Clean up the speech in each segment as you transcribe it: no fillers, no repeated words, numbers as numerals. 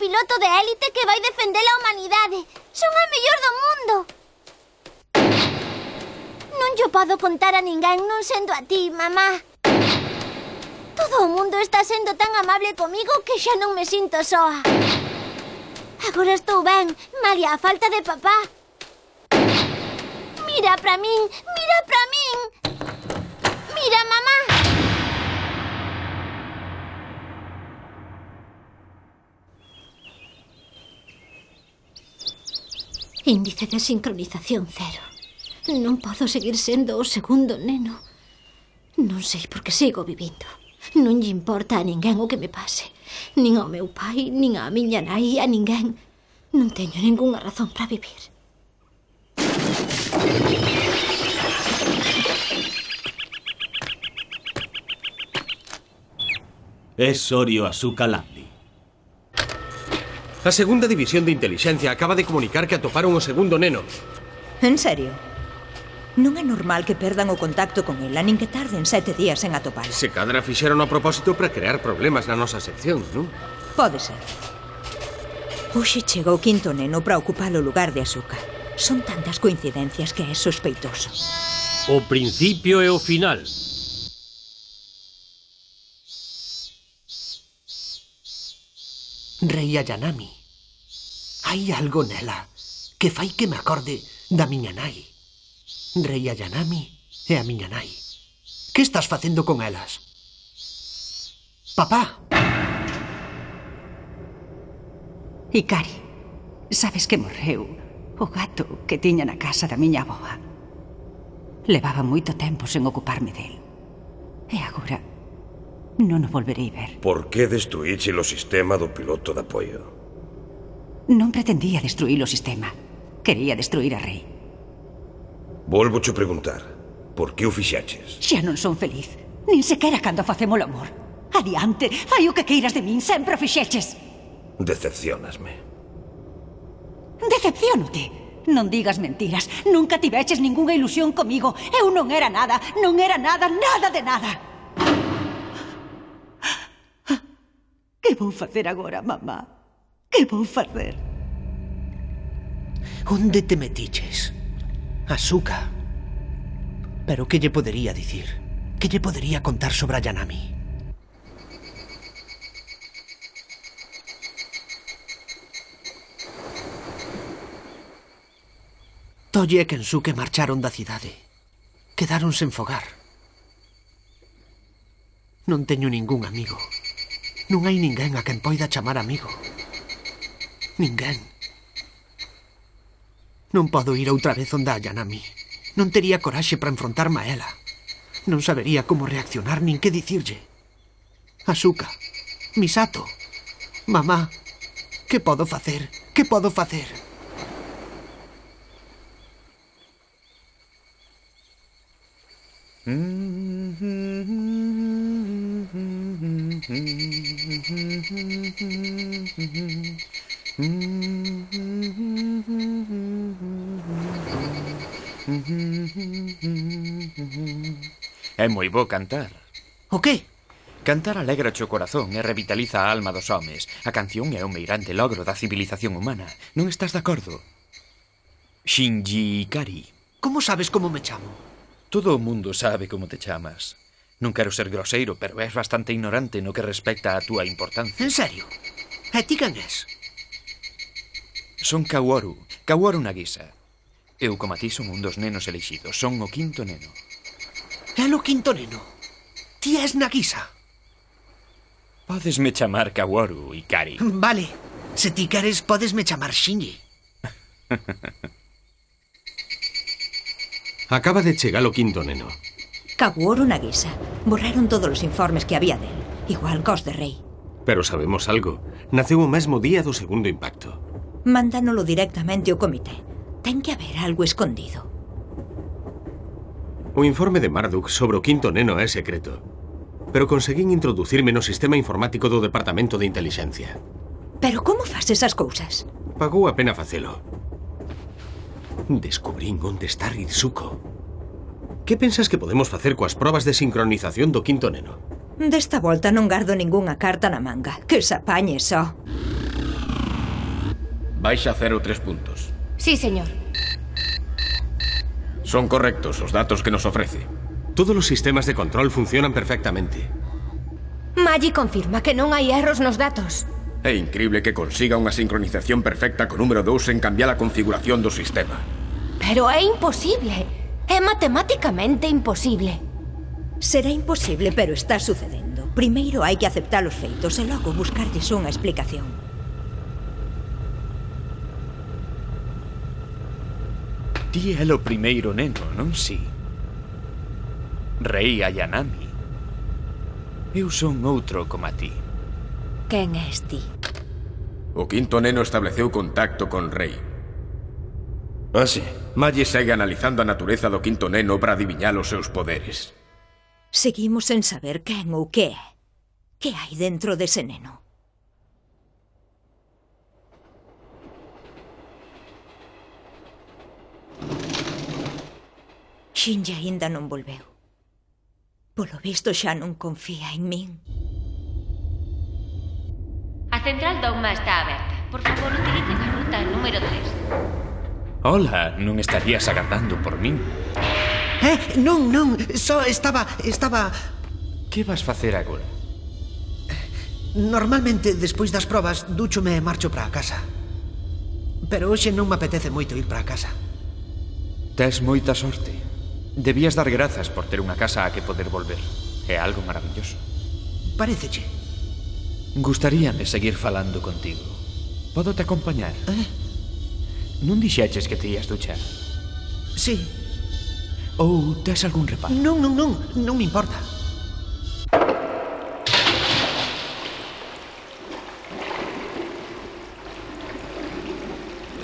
piloto de élite que vai defender a humanidade. Son a mellor do mundo. Non llo podo contar a ninguén, non sendo a ti, mamá. Todo o mundo está sendo tan amable comigo que xa non me sinto soa. Agora estou ben, malia a falta de papá. Mira pra min, mira pra min. Mira, mamá. Índice de sincronización 0. Non podo seguir sendo o segundo neno. Non sei por que sigo vivindo. Non lle importa a ninguén o que me pase. Nin ao meu pai, nin á miña nai, a ninguén. Non teño ningunha razón para vivir. É Sorio Asuka Landi. A segunda división de inteligencia acaba de comunicar que atoparon o segundo neno. En serio? Non é normal que perdan o contacto con ela, nin que tarden 7 días en atopar. Se cadra fixeron a propósito para crear problemas na nosa sección, non? Pode ser. Hoxe chega o quinto neno para ocupar o lugar de Asuka. Son tantas coincidencias que é sospeitoso. O principio e o final. Rei Ayanami. Hai algo nela que fai que me acorde da miña nai. Rei Ayanami e a miña nai. Que estás facendo con elas? Papá! Ikari, sabes que morreu o gato que tiña na casa da miña avoa. Levaba moito tempo sen ocuparme del. E agora non o volverei ver. Por que destruíche o sistema do piloto de apoio? Non pretendía destruir o sistema. Quería destruir a Rei. Volvocho preguntar, por que o fixaches? Xa non son feliz, nin sequera cando facemos o amor. Adiante, fai o que queiras de min, sempre o fixeches. Decepcionasme. Decepciónote. Non digas mentiras, nunca tiveches ningunha ilusión comigo. Eu non era nada, non era nada, nada de nada. Que vou facer agora, mamá? Que vou facer? Onde te metiches? Asuka. Pero que lle podería dicir? Que lle podería contar sobre Ayanami? Tolle e Kensuke marcharon da cidade. Quedaron sen fogar. Non teño ningún amigo. Non hai ninguén a quen poida chamar amigo. Ninguén. Non podo ir outra vez onde a Ayanami. Non tería coraxe para enfrontarme a ela. Non sabería como reaccionar nin que dicirlle. Asuka, Misato, mamá, que podo facer? Que podo facer? É moi bo cantar. O que? Cantar alegra o corazón e revitaliza a alma dos homes. A canción é o meirande logro da civilización humana. Non estás de acordo? Shinji Ikari. Como sabes como me chamo? Todo o mundo sabe como te chamas. Non quero ser groseiro, pero és bastante ignorante no que respecta a túa importancia. En serio? E ti quen és? Son Kaworu Nagisa. Eu, como a ti, son un dos nenos elixidos. Son o quinto neno. É o quinto neno? Ti és Nagisa? Podesme chamar Kaworu, Ikari. Vale. Se ti queres, podesme chamar Shinji. Acaba de chegar o quinto neno. Kaworu Nagisa. Borraron todos os informes que había del. Igual cos de Rei. Pero sabemos algo. Naceu o mesmo día do segundo impacto. Mándanolo directamente ao comité. Ten que haber algo escondido. O informe de Marduk sobre o quinto neno é secreto. Pero conseguín introducirme no sistema informático do Departamento de Intelixencia. Pero como faz esas cousas? Pagou a pena facelo. Descubrín onde está Ritsuko. Que pensas que podemos facer coas probas de sincronización do quinto neno? Desta volta non gardo ningunha carta na manga. Que se apañe só. Baixa 0,3 puntos. Sí, señor. Son correctos os datos que nos ofrece. Todos los sistemas de control funcionan perfectamente. Maggie confirma que non hai erros nos datos. É incrible que consiga unha sincronización perfecta co número 2 en cambiar a configuración do sistema. Pero é imposible. É matematicamente imposible. Será imposible, pero está sucedendo. Primeiro hai que aceptar os feitos e logo buscarlles unha explicación. Ti é o primeiro neno, non si? Rei Ayanami. Eu son outro como a ti. Quen és ti? O quinto neno estableceu contacto con Rei. Ah, sí. Maggie segue analizando a natureza do quinto neno para adiviñar os seus poderes. Seguimos sen saber quen ou que é. Que hai dentro dese neno? Shinji aínda non volveu. Polo visto xa non confía en min. A central Dogma está aberta. Por favor, utilicen a ruta número 3. Hola, non estarías agardando por min? Non, só estaba... Que vas facer agora? Normalmente, despois das probas, dúchome e marcho para a casa. Pero hoxe non me apetece moito ir para a casa. Tes moita sorte. Debías dar grazas por ter unha casa a que poder volver. É algo maravilloso. Paréceche? Gustaríame seguir falando contigo. Podo te acompañar? Non dixeches que te ías duchar? Sí. Ou tes algún reparo? Non me importa.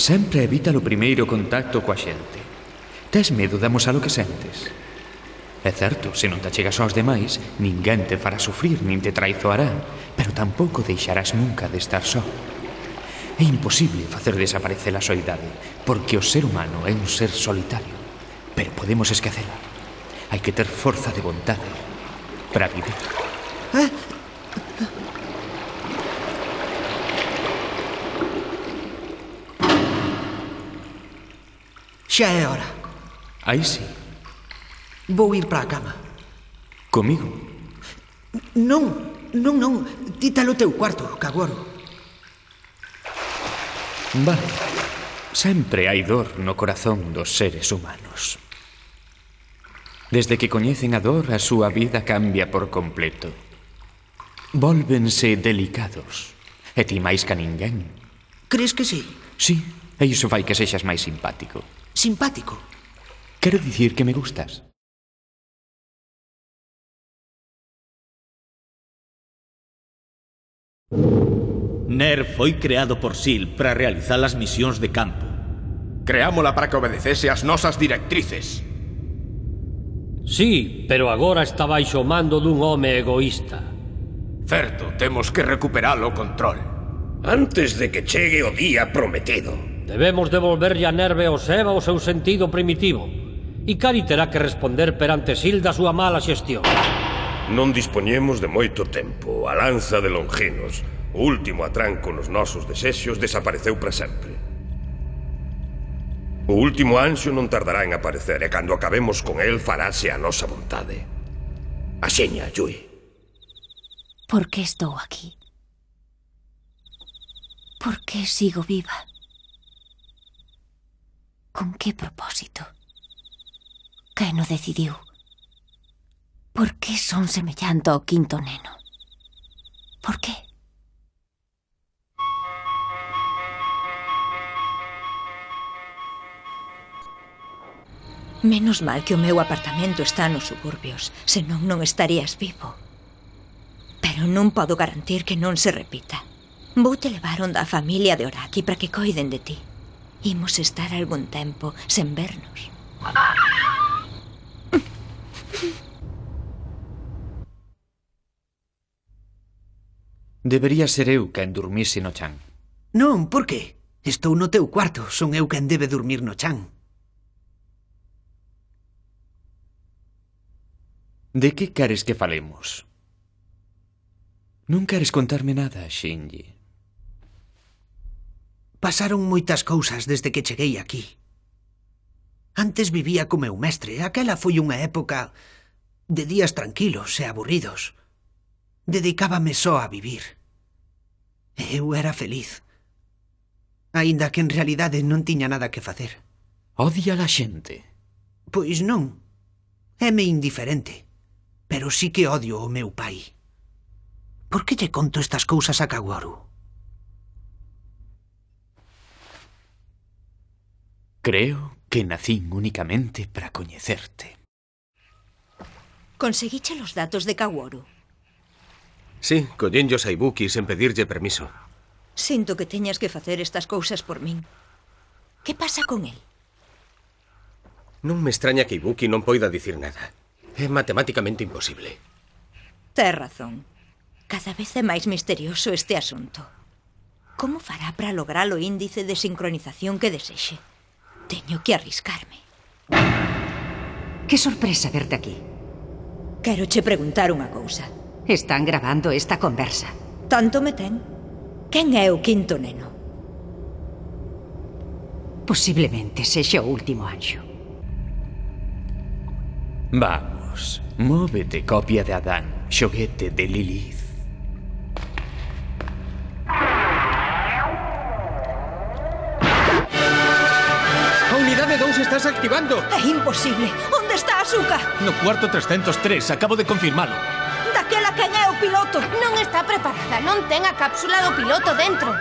Sempre evita o primeiro contacto coa xente. Tes medo de amosar o que sentes? É certo, se non te achegas aos demais, ninguén te fará sufrir nin te traizoará, pero tampouco deixarás nunca de estar só. É imposible facer desaparecer a soidade, porque o ser humano é un ser solitario. Pero podemos esquecela. Hai que ter forza de vontade para vivir. Xa é hora. Aí sí. Vou ir para a cama. Comigo? Non. Ti tal o teu cuarto, Kaworu. Vale. Sempre hai dor no corazón dos seres humanos. Desde que coñecen a dor, a súa vida cambia por completo. Vólvense delicados. E ti máis ca ninguén. Crees que sí? Sí, e iso fai que sexas máis simpático. Simpático? Quero dicir que me gustas. NER foi creado por SEAL para realizar as misións de campo. Creámola para que obedecese as nosas directrices. Sí, pero agora está baixo o mando dun home egoísta. Certo, temos que recuperar o control. Antes de que chegue o día prometido. Debemos devolverlle a Nerve ao Seba o seu sentido primitivo. Ikari terá que responder perante SEAL da súa mala xestión. Non dispoñemos de moito tempo. A lanza de Longinos, o último atranco nos nosos desexos, desapareceu para sempre. O último anxo non tardará en aparecer e cando acabemos con el farase a nosa vontade. Aseña, Yui. ¿Por qué estou aquí? ¿Por qué sigo viva? ¿Con qué propósito? Quen o decidiu? Por que son semellante ao quinto neno? Por que? Menos mal que o meu apartamento está nos suburbios, senón non estarías vivo. Pero non podo garantir que non se repita. Vou te levar onda a familia de Oraki para que coiden de ti. Imos estar algún tempo sen vernos. Debería ser eu quen dormise no chan. Non, por que? Estou no teu cuarto, son eu quen debe dormir no chan. De que queres que falemos? Non queres contarme nada, Shinji. Pasaron moitas cousas desde que cheguei aquí. Antes vivía co meu mestre. Aquela foi unha época de días tranquilos e aburridos. Dedicábame só a vivir. Eu era feliz. Aínda que en realidade non tiña nada que facer. Odia a xente? Pois non. Éme indiferente. Pero sí que odio o meu pai. Por que lle conto estas cousas a Kaworu? Creo que nacín únicamente para coñecerte. Conseguiche los datos de Kaworu? Sí, collenllos a Ibuki sen pedirlle permiso. Sinto que teñas que facer estas cousas por min. Que pasa con el? Non me extraña que Ibuki non poida dicir nada. É matemáticamente imposible. Tes razón. Cada vez é máis misterioso este asunto. Como fará para lograr o índice de sincronización que desexe? Teño que arriscarme. Que sorpresa verte aquí. Quero che preguntar unha cousa. Están grabando esta conversa. Tanto me ten. Quen é o quinto neno? Posiblemente sexa o último anxo. Vamos, móvete, copia de Adán, xoguete de Lilith. A unidade 2 estás activando. É imposible. Onde está Asuka? No cuarto 303, acabo de confirmalo. Daquela quen é o piloto? Non está preparada, non ten a cápsula do piloto dentro.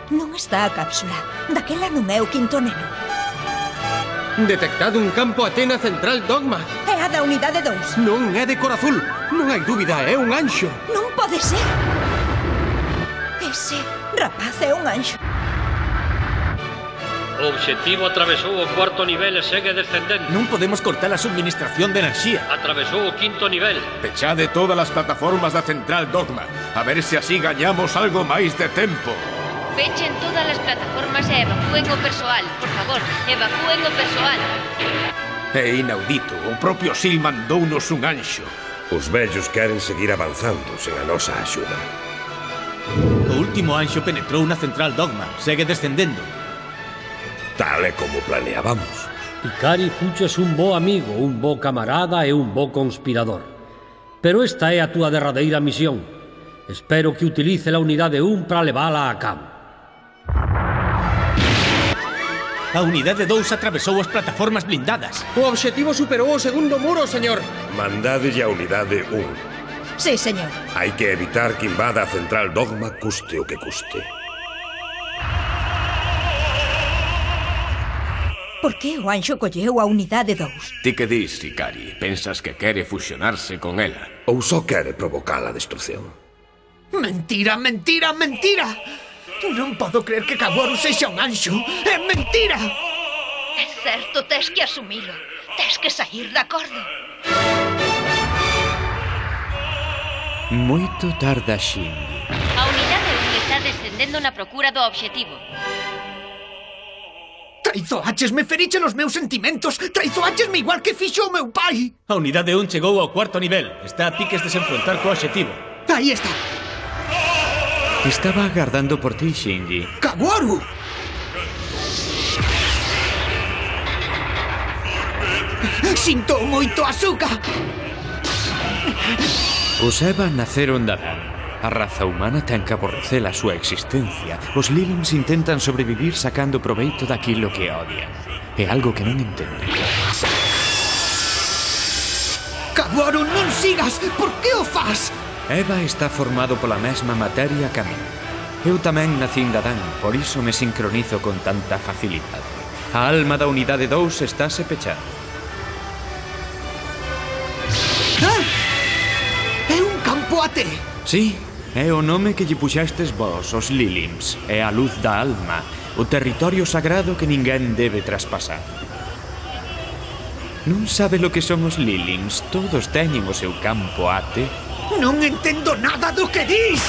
Non está a cápsula. Daquela non é o quinto neno. Detectado un campo Atena Central Dogma. É a da unidade 2. Non é de cor azul. Non hai dúbida, é un anxo. Non pode ser. Ese rapaz é un anxo. O obxectivo atravesou o cuarto nivel e segue descendendo. Non podemos cortar a subministración de enerxía. Atravesou o quinto nivel. Pechade todas as plataformas da Central Dogma. A ver se así gañamos algo máis de tempo. Pechen todas as plataformas e evacúen o persoal. Por favor, evacúen o persoal. É inaudito. O propio Sil mandounos un anxo. Os vellos queren seguir avanzando sen a nosa axuda. O último anxo penetrou na Central Dogma. Segue descendendo. Tal e como planeábamos. Ikari fuches un bo amigo, un bo camarada e un bo conspirador. Pero esta é a túa derradeira misión. Espero que utilice a unidade 1 para levala a cabo. A unidade 2 atravesou as plataformas blindadas. O obxectivo superou o segundo muro, señor. Mandádelle a unidade 1. Sí, señor. Hai que evitar que invada a Central Dogma custe o que custe. Por que o anxo colleu a unidade 2? Ti que dis, Ikari? Pensas que quere fusionarse con ela? Ou só quere provocar a destrucción? Mentira, mentira, mentira! Non podo creer que Kaworu sexa un anxo. É mentira! É certo, tes que asumilo. Tes que sair de acordo. Moito tarda Shinji. A unidade 1 está descendendo na procura do obxectivo. Traizoáchesme, feriche os meus sentimentos. Traizoáchesme igual que fixo o meu pai. A unidade 1 chegou ao cuarto nivel. Está a piques de se enfrontar co obxectivo. Aí está. Estaba agardando por ti, Shinji. ¡Kaworu! Sinto moito, Asuka! Os Eva naceron da Dan. A raza humana ten que aborrecer a súa existencia. Os Lilims intentan sobrevivir sacando proveito daquilo que odian. É algo que non entendo. Kaworu, non sigas! Por que o fas? Eva está formado pola mesma materia que a min. Eu tamén nacín da Dan, por iso me sincronizo con tanta facilidade. A alma da unidade 2 estáse pechando. Ah! É un campo AT! Sí, é o nome que lle puxastes vos, os Lilims. É a luz da alma, o territorio sagrado que ninguén debe traspasar. Non sabe lo que son os Lilims, todos teñen o seu campo AT. Non entendo nada do que dis!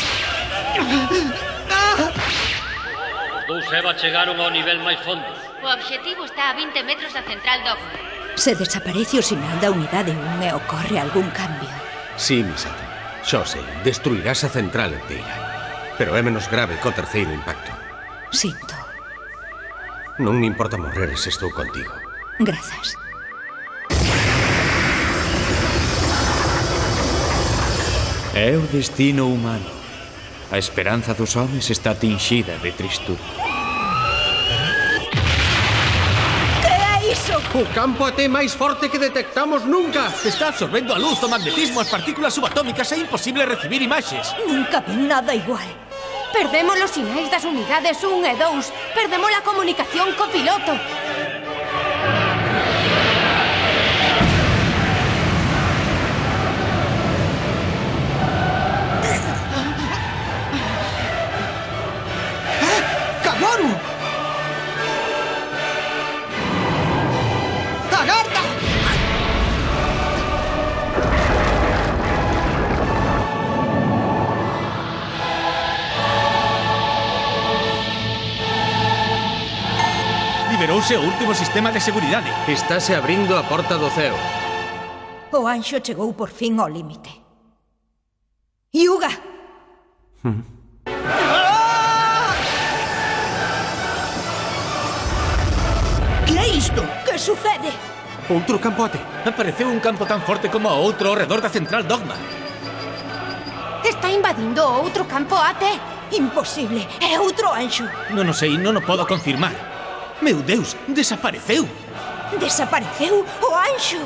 Os dous Eva chegaron ao nivel máis fondo. O obxectivo está a 20 metros da Central Dogma. Se desaparece o sinal da unidade 1 e ocorre algún cambio. Sí, Misato. Xo sei, destruirás a central inteira. Pero é menos grave co terceiro impacto. Sinto. Non me importa morrer se estou contigo. Grazas. É o destino humano. A esperanza dos homes está tinxida de tristura. Que é iso? O campo AT máis forte que detectamos nunca. Está absorbendo a luz, o magnetismo, as partículas subatómicas. É imposible recibir imaxes. Nunca vi nada igual. Perdemos os sinais das unidades 1 e 2. Perdemos a comunicación co piloto. ¡Kaworu! ¡Agarda! Liberouse o último sistema de seguridade. Estáse abrindo a porta do ceo. O anxo chegou por fin ao límite. Hyuga! Que é isto? Que sucede? Outro campo AT. Apareceu un campo tan forte como o outro ao redor da central Dogma. Está invadindo o outro campo AT. Imposible. É outro anxo. Non o sei, non o podo confirmar. Meu Deus, desapareceu. Desapareceu o anxo.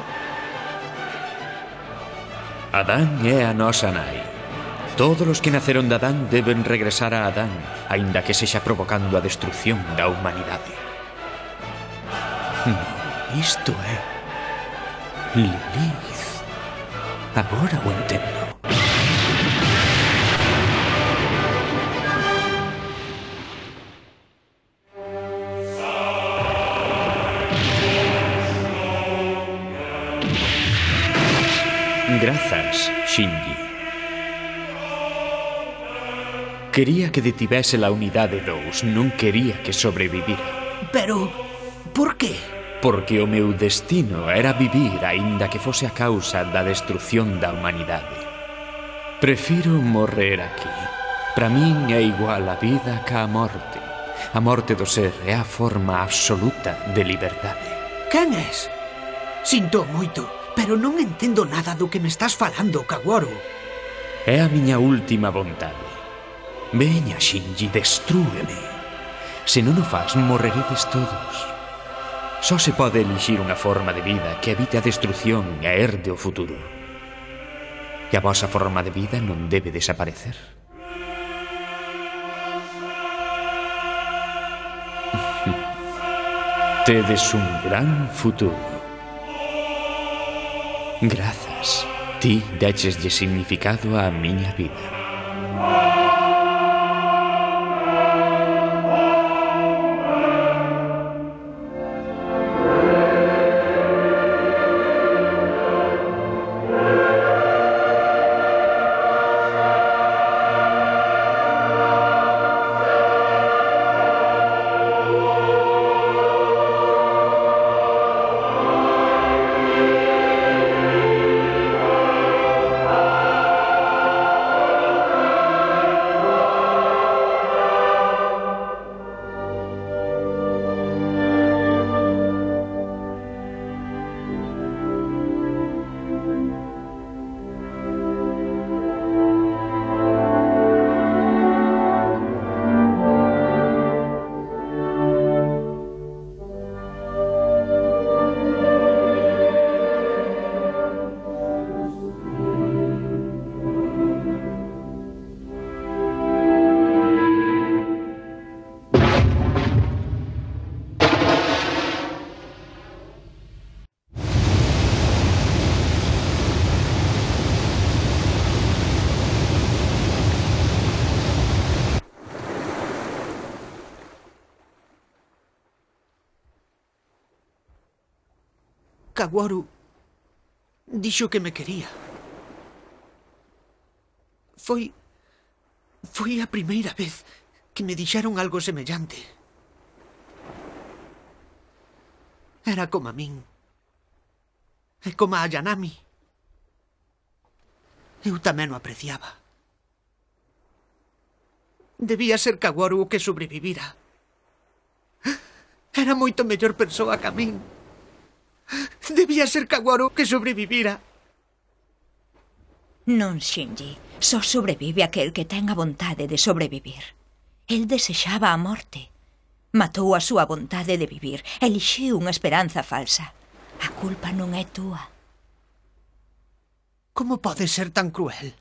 Adán é a nosa nai. Todos os que naceron de Adán deben regresar a Adán, aínda que sexa provocando a destrucción da humanidade. Isto é Lilith. Agora o entendo. Grazas, Shinji. Quería que detivese la unidade 2, non quería que sobrevivira. Pero, por qué? Porque o meu destino era vivir aínda que fose a causa da destrucción da humanidade. Prefiro morrer aquí. Para min é igual a vida ca a morte. A morte do ser é a forma absoluta de liberdade. Quen és? Sinto moito, pero non entendo nada do que me estás falando, Kaworu. É a miña última vontade. Veña, Shinji, destrúeme. Se non o faz, morreredes todos. Só se pode elixir unha forma de vida que evite a destrucción e herde o futuro. E a vosa forma de vida non debe desaparecer. Tedes un gran futuro. Grazas. Ti decheslle significado á miña vida. Kaworu dixo que me quería. Foi a primeira vez que me dixeron algo semellante. Era como a min. E como a Ayanami. Eu tamén o apreciaba. Debía ser Kaworu o que sobrevivira. Era moito mellor persoa que a min. Debía ser Kaworu que sobrevivira. Non, Shinji. Só sobrevive aquel que ten a vontade de sobrevivir. El desexaba a morte. Matou a súa vontade de vivir. Elixiu unha esperanza falsa. A culpa non é túa. Como pode ser tan cruel?